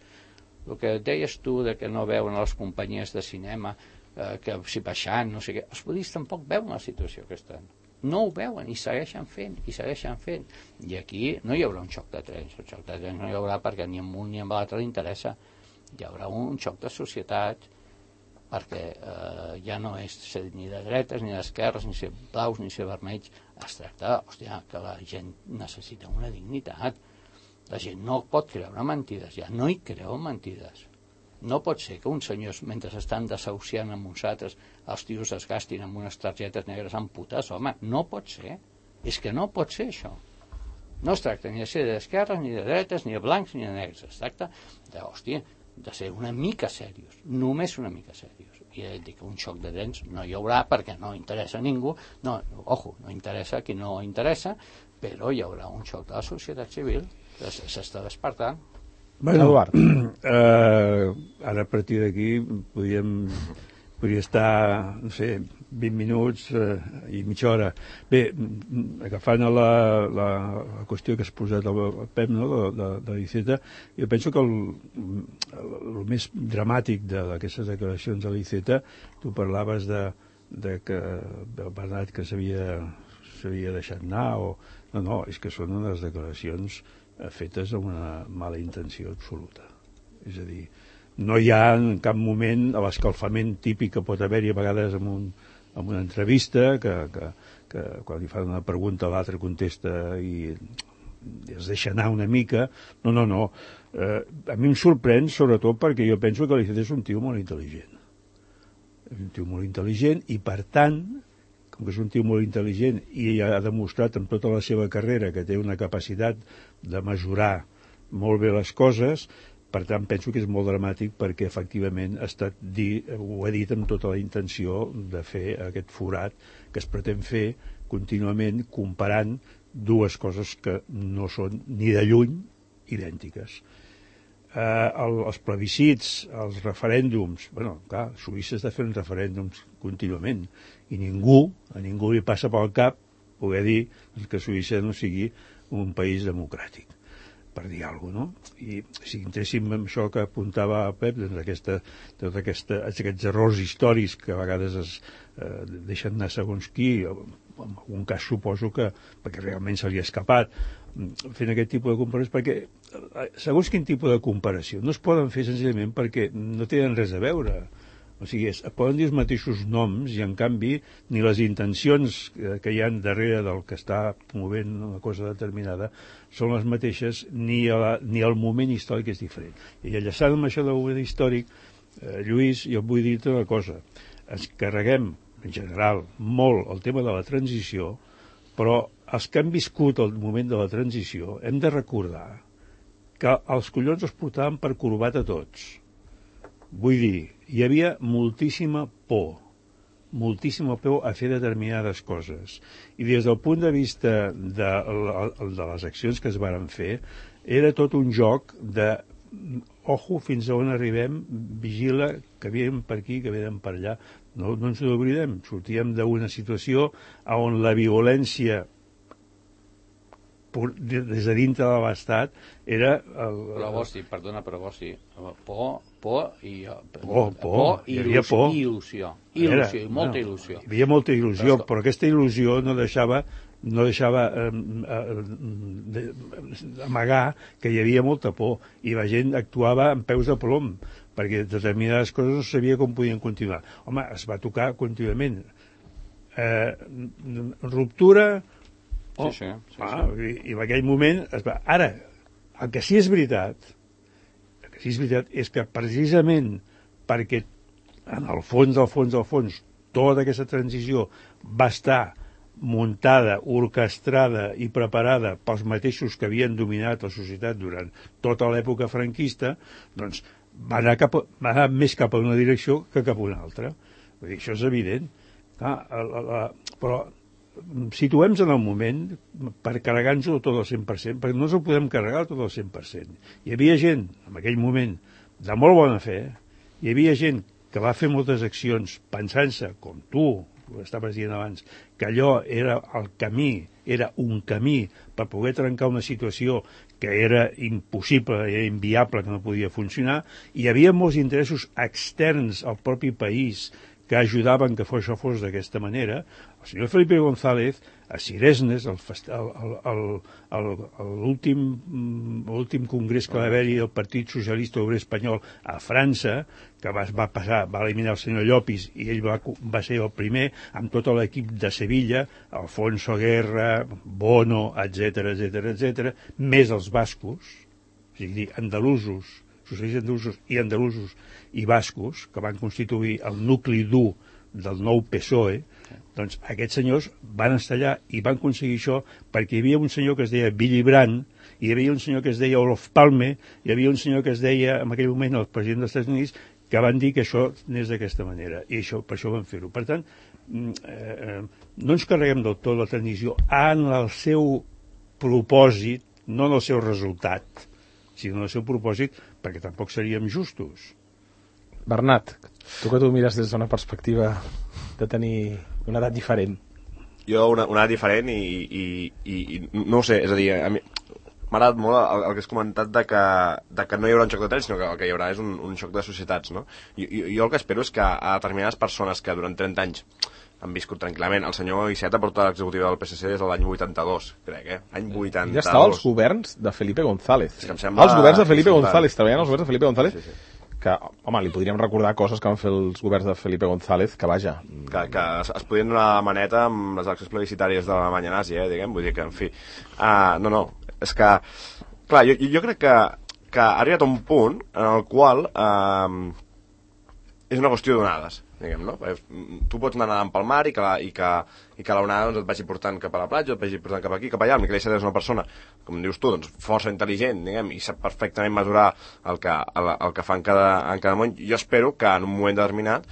el que deies tu de que no veuen les companyies de cinema, eh, que si baixant, no sé què, els polítics tampoc veuen la situació que estan. No ho veuen i segueixen fent, i segueixen fent. I aquí no hi haurà un xoc de trens, el xoc de trens no hi haurà perquè ni amb un ni amb l'altre li interessa. Hi haurà un xoc de societat perquè eh, ja no és ser ni de dretes, ni d'esquerres, ni ser blaus, ni ser vermells. Es tracta, hòstia, que la gent necessita una dignitat. La gent no pot creure mentides, ja no hi creu mentides. No pot ser que uns senyors, mentre estan desahuciant amb uns altres, els tios es gastin amb unes targetes negres amb putes, home, no pot ser. És que no pot ser això. No es tracta ni de ser d'esquerres, ni de dretes, ni de blancs, ni de negres. Es tracta de, hòstia, de ser una mica serios, només una mica serios. I he dit que un xoc de dents no hi haurà perquè no interessa a ningú, no, ojo, no interessa a qui no interessa, però hi haurà un xoc de la societat civil que s'està despertant. Bueno, Eduard. Eh, ara a partir d'aquí podríem, podria estar, no sé, vint minuts eh, i mitja hora. Bé, agafant la, la, la qüestió que has posat al Pep, no?, de, de, de l'Iceta, jo penso que el, el, el més dramàtic d'aquestes declaracions de l'Iceta, tu parlaves de, de que el Bernat que s'havia s'havia deixat anar, o... no, no, és que són unes declaracions fetes amb una mala intenció absoluta. És a dir, no hi ha en cap moment l'escalfament típic que pot haver-hi a vegades en, un, en una entrevista, que, que, que quan li fan una pregunta l'altre contesta i es deixa anar una mica. No, no, no. Eh, a mi em sorprèn sobretot perquè jo penso que l'Iceta és un tio molt intel·ligent. És un tio molt intel·ligent i, per tant, com que és un tio molt intel·ligent i ha demostrat en tota la seva carrera que té una capacitat de mesurar molt bé les coses, per tant penso que és molt dramàtic perquè efectivament ha estat dir, ho ha dit amb tota la intenció de fer aquest forat que es pretén fer contínuament comparant dues coses que no són ni de lluny idèntiques. Eh, el, els plebiscits, els referèndums, bueno, clar, Suïssa està fent referèndums contínuament i ningú, a ningú li passa pel cap poder dir que Suïssa no sigui un país democràtic, per dir alguna cosa, no? I si entréssim en això que apuntava Pep, doncs aquesta, tot aquesta, aquests errors històrics que a vegades es eh, deixen anar segons qui, en algun cas suposo que perquè realment se li ha escapat, fent aquest tipus de comparacions, perquè segons quin tipus de comparació no es poden fer senzillament perquè no tenen res a veure. O sigui, es poden dir els mateixos noms i, en canvi, ni les intencions que hi ha darrere del que està promovent una cosa determinada són les mateixes, ni, la, ni el moment històric és diferent. I enllaçant amb això del moment històric, eh, Lluís, jo vull dir-te una cosa. Ens carreguem, en general, molt el tema de la transició, però els que han viscut el moment de la transició hem de recordar que els collons els portaven per corbat a tots. Vull dir, hi havia moltíssima por. moltíssim el peu a fer determinades coses. I des del punt de vista de, de les accions que es varen fer, era tot un joc de ojo, fins a on arribem, vigila, que venen per aquí, que venen per allà. No, no ens n'oblidem, sortíem d'una situació on la violència des de dintre de l'Estat era... El, però vos sí, perdona, però vos sí, por, por i... Por, por, por i il·lusió, por. Il·lusió, il·lusió, era, i molta no, il·lusió. Hi havia molta il·lusió, però, però aquesta il·lusió no deixava no deixava eh, eh, amagar que hi havia molta por i la gent actuava amb peus de plom perquè determinades coses no sabia com podien continuar. Home, es va tocar contínuament. Eh, ruptura... Oh, sí, sí, sí, ah, sí. I, i en aquell moment es va... Ara, el que sí és veritat, el que sí és veritat és que precisament perquè en el fons, del fons, del fons, tota aquesta transició va estar muntada, orquestrada i preparada pels mateixos que havien dominat la societat durant tota l'època franquista, doncs va anar, cap a, va anar més cap a una direcció que cap a una altra. Vull dir, això és evident. Clar, la, la, però situem-nos en el moment per carregar-nos-ho tot al cent per cent, perquè no ens ho podem carregar tot al cent per cent. Hi havia gent, en aquell moment, de molt bona fe, hi havia gent que va fer moltes accions pensant-se, com tu, ho estaves dient abans, que allò era el camí, era un camí per poder trencar una situació que era impossible, era inviable, que no podia funcionar, i hi havia molts interessos externs al propi país que ajudaven que això fos d'aquesta manera. El senyor Felipe González, a Ciresnes, l'últim congrés que va haver-hi del Partit Socialista Obrer Espanyol a França, que va, va passar, va eliminar el senyor Llopis, i ell va, va ser el primer, amb tot l'equip de Sevilla, Alfonso Guerra, Bono, etcètera, etcètera, etcètera, més els bascos, o sigui, andalusos, socialistes andalusos i andalusos i bascos, que van constituir el nucli dur del nou P S O E, doncs aquests senyors van estar allà i van aconseguir això perquè hi havia un senyor que es deia Willy Brandt, hi havia un senyor que es deia Olof Palme, hi havia un senyor que es deia, en aquell moment, el president dels Estats Units, que van dir que això anés d'aquesta manera, i això, per això van fer-ho. Per tant, eh, no ens carreguem del tot la transició en el seu propòsit, no en el seu resultat, sinó en el seu propòsit, perquè tampoc seríem justos. Bernat, tu que tu mires des d'una perspectiva de tenir una edat diferent. Jo una, una edat diferent i, i, i, i no ho sé, és a dir, a mi m'ha agradat molt el, el que has comentat de que, de que no hi haurà un xoc de trens, sinó que el que hi haurà és un, un xoc de societats, no? I, i, jo el que espero és que a determinades persones que durant trenta anys han viscut tranquil·lament, el senyor Iceta porta l'executiva del P S C des de l'any vuitanta-dos, crec, eh? Any vuitanta-dos. Ja estava als governs de Felipe González. És que em sembla... Els governs de Felipe González, treballant als governs de Felipe González, sí, sí. Que, home, li podríem recordar coses que van fer els governs de Felipe González, que vaja... Que, que es, es podien donar la maneta amb les eleccions plebiscitàries de l'Alemanya nazi, eh, diguem, vull dir que, en fi... Uh, no, no, és que... Clar, jo, jo crec que, que ha arribat a un punt en el qual uh, és una qüestió d'onades, diguem, no? Tu pots anar nedant pel mar i que, la, i que, i que l'onada doncs, et vagi portant cap a la platja, et vagi portant cap aquí, cap allà. El Miquel Iceta és una persona, com dius tu, doncs, força intel·ligent, diguem, i sap perfectament mesurar el que, el, el que fa en cada, en cada moment. Jo espero que en un moment determinat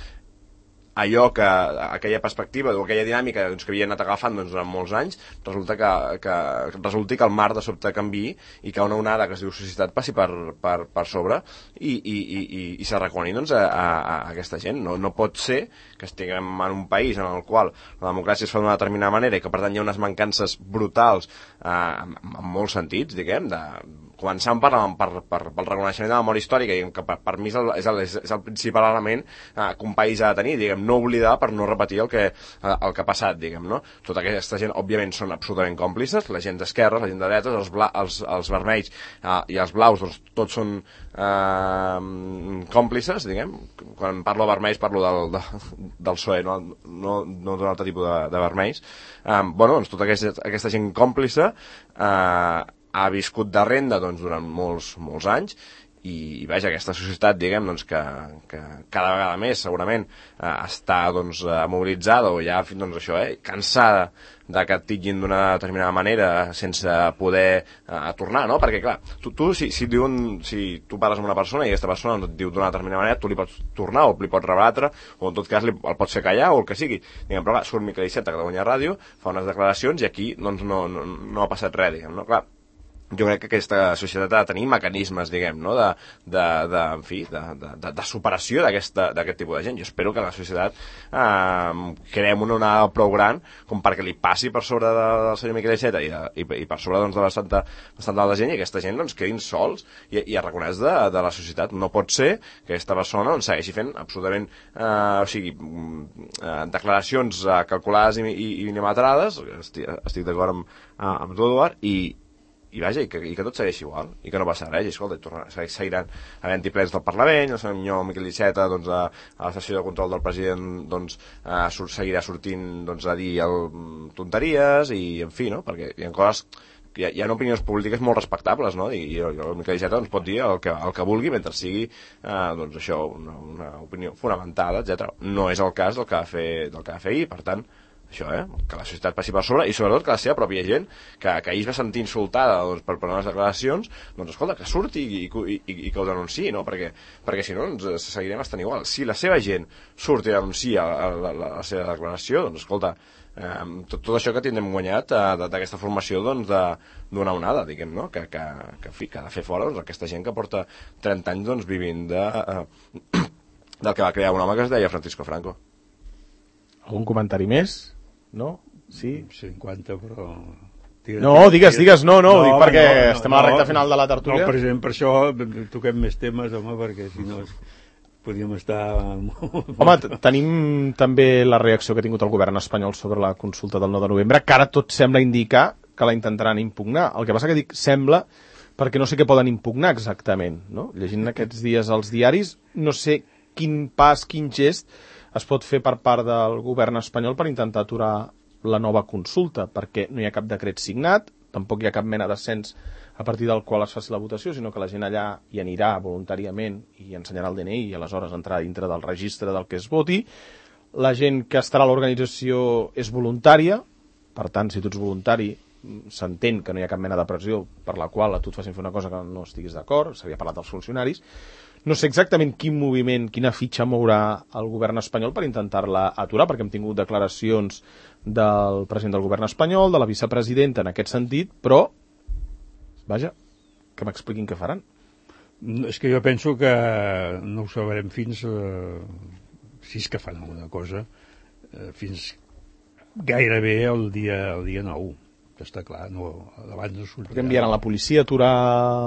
allò que, aquella perspectiva o aquella dinàmica doncs, que havia anat agafant doncs, durant molts anys, resulta que, que, resulti que el mar de sobte canviï i que una onada que es diu societat passi per, per, per sobre i, i, i, i, i s'arraconi doncs, a, a, a aquesta gent. No, no pot ser que estiguem en un país en el qual la democràcia es fa d'una determinada manera i que per tant hi ha unes mancances brutals eh, en, en molts sentits, diguem, de començant per, per, per, pel reconeixement de la memòria històrica, diguem, que per, per mi és el, és, el, és el principal element eh, que un país ha de tenir, diguem, no oblidar per no repetir el que, eh, el que ha passat, diguem, no? Tota aquesta gent, òbviament, són absolutament còmplices, la gent d'esquerra, la gent de dretes, els, bla, els, els vermells eh, i els blaus, doncs, tots són eh, còmplices, diguem. Quan parlo de vermells parlo del, de, del P S O E, no, no, no d'un altre tipus de, de vermells. Eh, bueno, doncs, tota aquesta, aquesta gent còmplice eh, ha viscut de renda doncs, durant molts, molts anys i vaja, aquesta societat, diguem, doncs, que, que cada vegada més segurament eh, està doncs, eh, mobilitzada o ja doncs, això, eh, cansada de que et titllin d'una determinada manera sense poder eh, tornar, no? Perquè clar, tu, tu si, si, diuen, si tu parles amb una persona i aquesta persona et diu d'una determinada manera, tu li pots tornar o li pots rebatre o en tot cas li, el pots fer callar o el que sigui, diguem, però clar, surt Miquel Iceta a Catalunya Ràdio, fa unes declaracions i aquí doncs, no, no, no ha passat res, diguem, no? Clar, jo crec que aquesta societat ha de tenir mecanismes, diguem, no? de, de, de, en fi, de, de, de superació d'aquest tipus de gent. Jo espero que la societat eh, creem una onada prou gran com perquè li passi per sobre de, del senyor Miquel Iceta i, de, i, i per sobre doncs, de bastanta, bastant de gent i aquesta gent doncs, quedin sols i, i es reconeix de, de la societat. No pot ser que aquesta persona doncs, segueixi fent absolutament eh, o sigui, eh, declaracions eh, calculades i, i, i minimetrades, estic, estic d'acord amb, amb tu, Eduard, i i vaja, i que, i que tot segueix igual i que no passa res, i escolta, i tornar, seguiran havent-hi plens del Parlament, el senyor Miquel Iceta doncs, a, a la sessió de control del president doncs, a, sur, seguirà sortint doncs, a dir el, tonteries i en fi, no? Perquè hi ha coses hi ha, hi ha opinions polítiques molt respectables, no? I, i el Miquel Iceta doncs, pot dir el que, el que vulgui mentre sigui eh, doncs, això, una, una opinió fonamentada, etcètera. No és el cas del que va fer, del que va fer ahir, per tant això, eh? Que la societat passi per sobre i sobretot que la seva pròpia gent que, que ahir es va sentir insultada doncs, per, per unes declaracions, doncs escolta, que surti i, i, i, i que ho denunciï, no? Perquè, perquè si no ens seguirem estant igual. Si la seva gent surt i denuncia la, la, la, la seva declaració, doncs escolta, eh, tot, tot això que tindrem guanyat eh, d'aquesta formació doncs, d'una onada, diguem, no? Que, que, que, fi, que ha de fer fora doncs, aquesta gent que porta trenta anys doncs, vivint de, eh, del que va crear un home que es deia Francisco Franco. Algun comentari més? No? Sí? cinquanta, però... No, digues, digues, no, no, no dic perquè no, no, estem a la recta no, final de la tertúlia. No, per exemple, per això toquem més temes, home, perquè si no podríem estar... Home, tenim també la reacció que ha tingut el govern espanyol sobre la consulta del nou de novembre, que ara tot sembla indicar que la intentaran impugnar. El que passa que dic sembla perquè no sé què poden impugnar exactament, no? Llegint aquests dies als diaris, no sé quin pas, quin gest es pot fer per part del govern espanyol per intentar aturar la nova consulta, perquè no hi ha cap decret signat, tampoc hi ha cap mena de cens a partir del qual es faci la votació, sinó que la gent allà hi anirà voluntàriament i ensenyarà el D N I i aleshores entrarà dintre del registre del que es voti. La gent que estarà a l'organització és voluntària, per tant, si tu ets voluntari, s'entén que no hi ha cap mena de pressió per la qual a tu et facin fer una cosa que no estiguis d'acord, s'havia parlat dels funcionaris. No sé exactament quin moviment, quina fitxa mourà el govern espanyol per intentar-la aturar, perquè hem tingut declaracions del president del govern espanyol, de la vicepresidenta en aquest sentit, però, vaja, que m'expliquin què faran. És que jo penso que no ho sabrem fins, eh, si és que fan alguna cosa, eh, fins gairebé el dia, el dia nou. Que està clar, no, abans no sortirà. Perquè enviaran la policia a aturar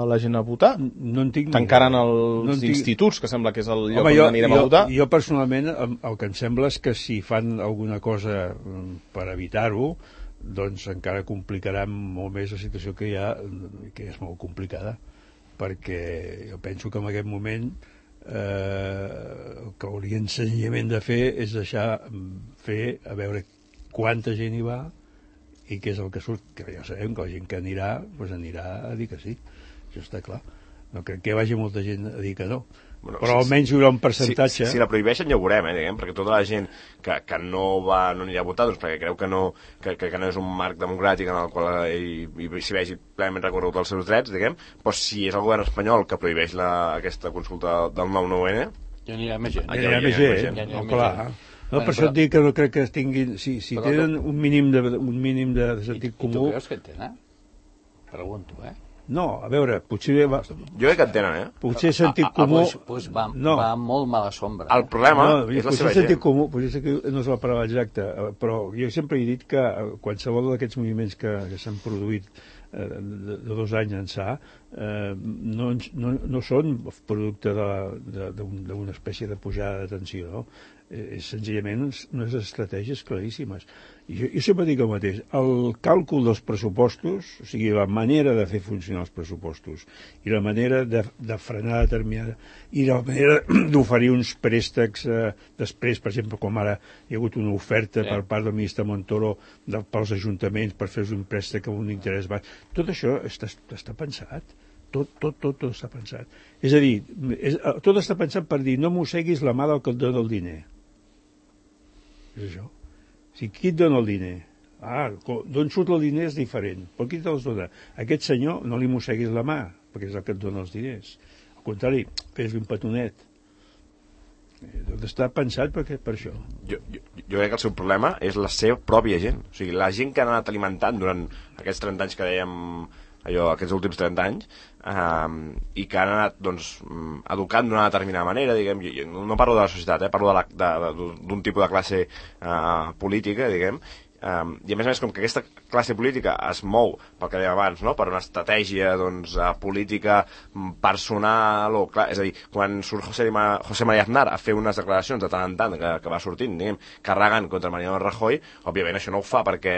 la gent a votar? No en tinc ni Tancaran els no tinc... instituts, que sembla que és el lloc Home, on jo, anirem jo, a votar? Jo personalment el que em sembla és que si fan alguna cosa per evitar-ho, doncs encara complicarà molt més la situació que hi ha, que és molt complicada, perquè jo penso que en aquest moment eh, el que haurien senzillament de fer és deixar fer a veure quanta gent hi va i què és el que surt, que ja sabem que la gent que anirà, doncs anirà a dir que sí, això està clar. No crec que vagi molta gent a dir que no. Bueno, però si, almenys hi haurà un percentatge... Si, si la prohibeixen ja ho veurem, eh, diguem, perquè tota la gent que, que no va no anirà a votar, doncs perquè creu que no, que, que no és un marc democràtic en el qual hi, hi, s'hi vegi plenament recorregut els seus drets, diguem, doncs si és el govern espanyol que prohibeix la, aquesta consulta del nou nou ene... Ja anirà més gent. Ja anirà més gent, ja anirà clar. No, per això et dic que no crec que tinguin... Si, si tenen un mínim de, un mínim de sentit comú... I tu creus que en tenen? Pregunto, eh? No, a veure, potser... Va... Jo crec que en tenen, eh? Potser sentit comú... Ah, ah, pues va, no. va molt mala sombra. El problema no, és la seva sentit gent. Comú, potser que no és la paraula exacta, però jo sempre he dit que qualsevol d'aquests moviments que, que s'han produït eh, de, de dos anys ençà eh, no, no, no són producte d'una espècie de pujada de tensió, no? Eh, senzillament unes estratègies claríssimes. I jo, jo sempre dic el mateix, el càlcul dels pressupostos, o sigui, la manera de fer funcionar els pressupostos i la manera de, de frenar determinada, i la manera d'oferir uns préstecs eh, després, per exemple, com ara hi ha hagut una oferta sí. per part del ministre Montoro de, pels ajuntaments per fer un préstec amb un interès baix, tot això està, està pensat. tot, tot, tot, tot està pensat. És a dir, és, tot està pensat per dir no mosseguis la mà del que et dona el diner. És això. O sigui, qui et dona el diner? Ah, d'on surt el diner és diferent, però qui te'ls dona? Aquest senyor no li mosseguis la mà, perquè és el que et dona els diners. Al contrari, fes-li un petonet. Tot està pensat perquè, per això. Jo, jo, jo crec que el seu problema és la seva pròpia gent. O sigui, la gent que han anat alimentant durant aquests trenta anys que dèiem, allò, aquests últims trenta anys, eh, i que han anat, doncs, educant d'una determinada manera, diguem, jo, no parlo de la societat, eh, parlo de la, de, de, d'un tipus de classe eh, política, diguem, Um, i a més a més, com que aquesta classe política es mou, pel que dèiem abans, no? Per una estratègia, doncs, uh, política personal, o clar, és a dir, quan surt José, Ma, José María Aznar a fer unes declaracions de tant en tant que, que va sortint, diguem, carregant contra Mariano Rajoy, òbviament això no ho fa perquè,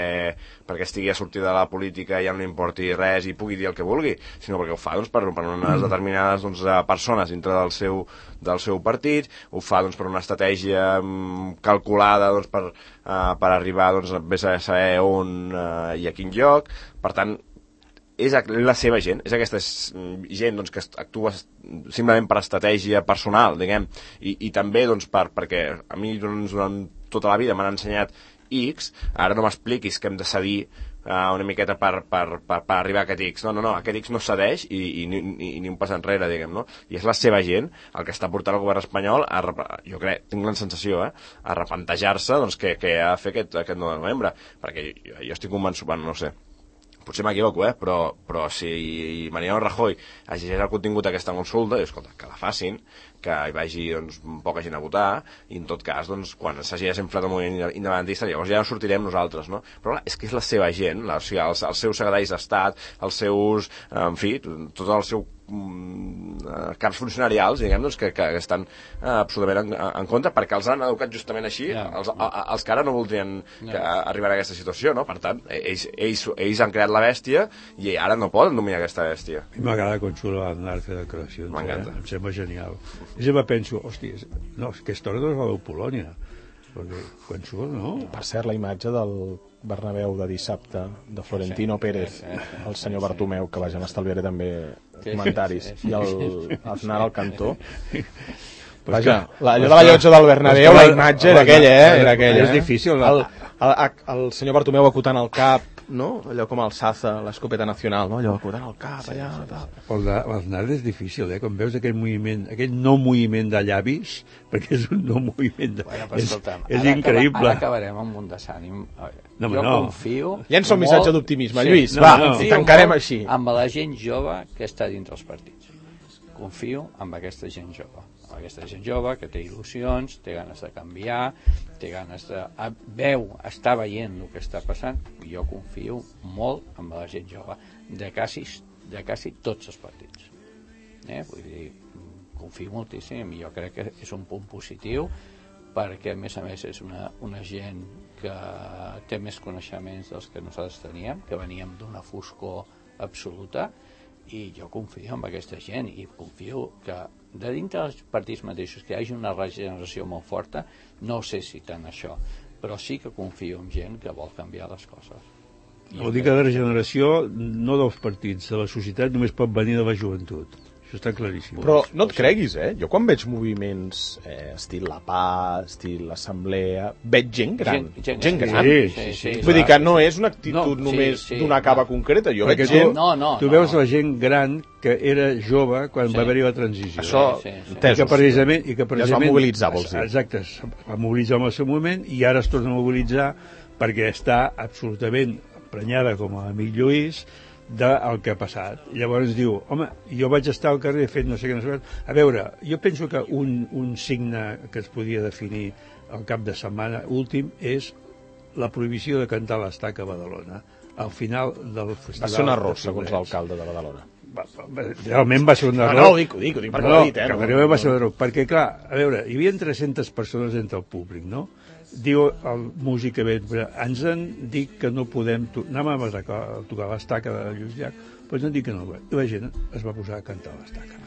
perquè estigui a sortir de la política i ja no li importi res i pugui dir el que vulgui, sinó perquè ho fa, doncs, per, per unes determinades, doncs, persones dintre del seu, del seu partit, ho fa, doncs, per una estratègia um, calculada, doncs, per, uh, per arribar, doncs, vés a saber on uh, i a quin lloc. Per tant, és la seva gent, és aquesta gent, doncs, que actua simplement per estratègia personal, diguem, i, i també, doncs, per, perquè a mi doncs, durant tota la vida m'han ensenyat X, ara no m'expliquis que hem de cedir uh, una miqueta per, per, per, per arribar a aquest X. No, no, no, aquest X no cedeix i, i, i, i ni un pas enrere, diguem, no? I és la seva gent el que està portant el govern espanyol a, jo crec, tinc la sensació, eh, a replantejar-se, doncs, què, què ha de fer aquest, aquest nou de novembre, perquè jo, jo estic convençut, bueno, no ho sé, potser m'equivoco, eh? però, però si Mariano Rajoy exigeix el contingut d'aquesta consulta, i escolta, que la facin, que hi vagi, doncs, poca gent a votar, i en tot cas, doncs, quan s'hagi desinflat el moviment independentista, llavors ja no sortirem nosaltres, no? Però clar, és que és la seva gent, la, o sigui, els, els seus secretaris d'Estat, els seus, en fi, tot el seu caps funcionarials, diguem, doncs, que, que estan eh, absolutament en, en contra, perquè els han educat justament així, yeah. els, a, els que ara no voldrien que yeah. arribar a aquesta situació, no? Per tant, ells, ells, ells han creat la bèstia i ara no poden dominar aquesta bèstia. A mi m'agrada quan surt l'Aznar fer declaracions, eh? Em sembla genial. I sempre penso, hòstia, no, aquesta hora no és la de Polònia, perquè quan surt, no? Per cert, la imatge del Bernabéu de dissabte, de Florentino sí, Pérez, sí, sí, el senyor sí, Bartomeu, que vaja, m'estalviaré també sí, comentaris, sí, sí, i el Aznar al cantó. Vaja, la, allò de la llotja del Bernabéu, la imatge era aquella, eh? Era aquella, és difícil. El, el, el senyor Bartomeu acotant el cap, no? Allò com el Saza, l'escopeta nacional, no? Allò acotant el cap, allà, tal. L'Aznar és difícil, eh? Quan veus aquell moviment, aquell no moviment de llavis, perquè és un no moviment de... Bueno, és, és ara increïble. Acaba, ara acabarem amb un desànim. No, jo no. confio... Llença un missatge d'optimisme, sí, Lluís, no, va, no. tancarem així. Amb la gent jove que està dintre els partits. Confio en aquesta gent jove. Aquesta gent jove que té il·lusions, té ganes de canviar, té ganes de... veu, està veient el que està passant. Jo confio molt en la gent jove de quasi, de quasi tots els partits. Eh? Vull dir, confio moltíssim i jo crec que és un punt positiu perquè, a més a més, és una, una gent que té més coneixements dels que nosaltres teníem, que veníem d'una foscor absoluta, i jo confio en aquesta gent i confio que de dintre dels partits mateixos que hi hagi una regeneració molt forta. No sé si tant això, però sí que confio en gent que vol canviar les coses. Vol dir que la regeneració no dels partits, de la societat, només pot venir de la joventut. Això està claríssim. Però no et creguis, eh? Jo quan veig moviments eh, estil La Paz, estil l'Assemblea, veig gent gran. Gent, gent, gent gran. Sí, sí, sí, sí, Vull dir que no és una actitud no, només sí, sí, d'una cava no. concreta. Jo Perquè veig gent... Tu, no, no, tu no. veus la gent gran que era jove quan sí. va haver-hi la transició. Això, sí, sí, sí. I que precisament... I que precisament ja es va mobilitzar, vols dir. Exacte, es va mobilitzar en el seu moment i ara es torna a mobilitzar perquè està absolutament emprenyada, com l'amic Lluís, del que ha passat. Llavors diu, home, jo vaig estar al carrer fent no sé què, no sé què. A veure, jo penso que un, un signe que es podia definir al cap de setmana últim és la prohibició de cantar l'Estaca a Badalona al final del festival. Va ser un error, segons l'alcalde de Badalona. Realment va ser un error. No, no, ho dic, ho dic, ho dic perquè no, ho he dit, eh? No, no, va ser un error, perquè clar, a veure, hi havia tres-centes persones entre el públic, no? Diu el músic que ve, ens han dit que no podem, anàvem a tocar, a tocar l'Estaca de Lluís Llach, però ens han dit que no, i la gent es va posar a cantar l'Estaca.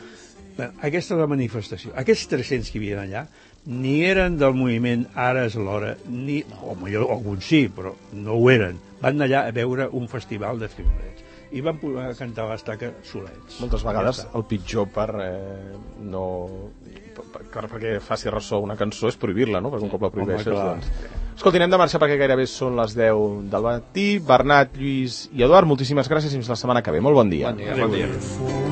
Bé, aquesta és la manifestació. Aquests tres-cents que hi havia allà ni eren del moviment Ara és l'hora, ni, o millor alguns sí, però no ho eren. Van allà a veure un festival de xiulets. i van poder cantar l'estaca solets. Moltes vegades el pitjor per eh, no... Per, per, perquè faci ressò una cançó és prohibir-la, no? Perquè un cop la prohibeixes, doncs... Escolti, anem de marxa perquè gairebé són les deu del matí. Bernat, Lluís i Eduard, moltíssimes gràcies i fins la setmana que ve. Molt bon dia. Bon dia. Bon dia.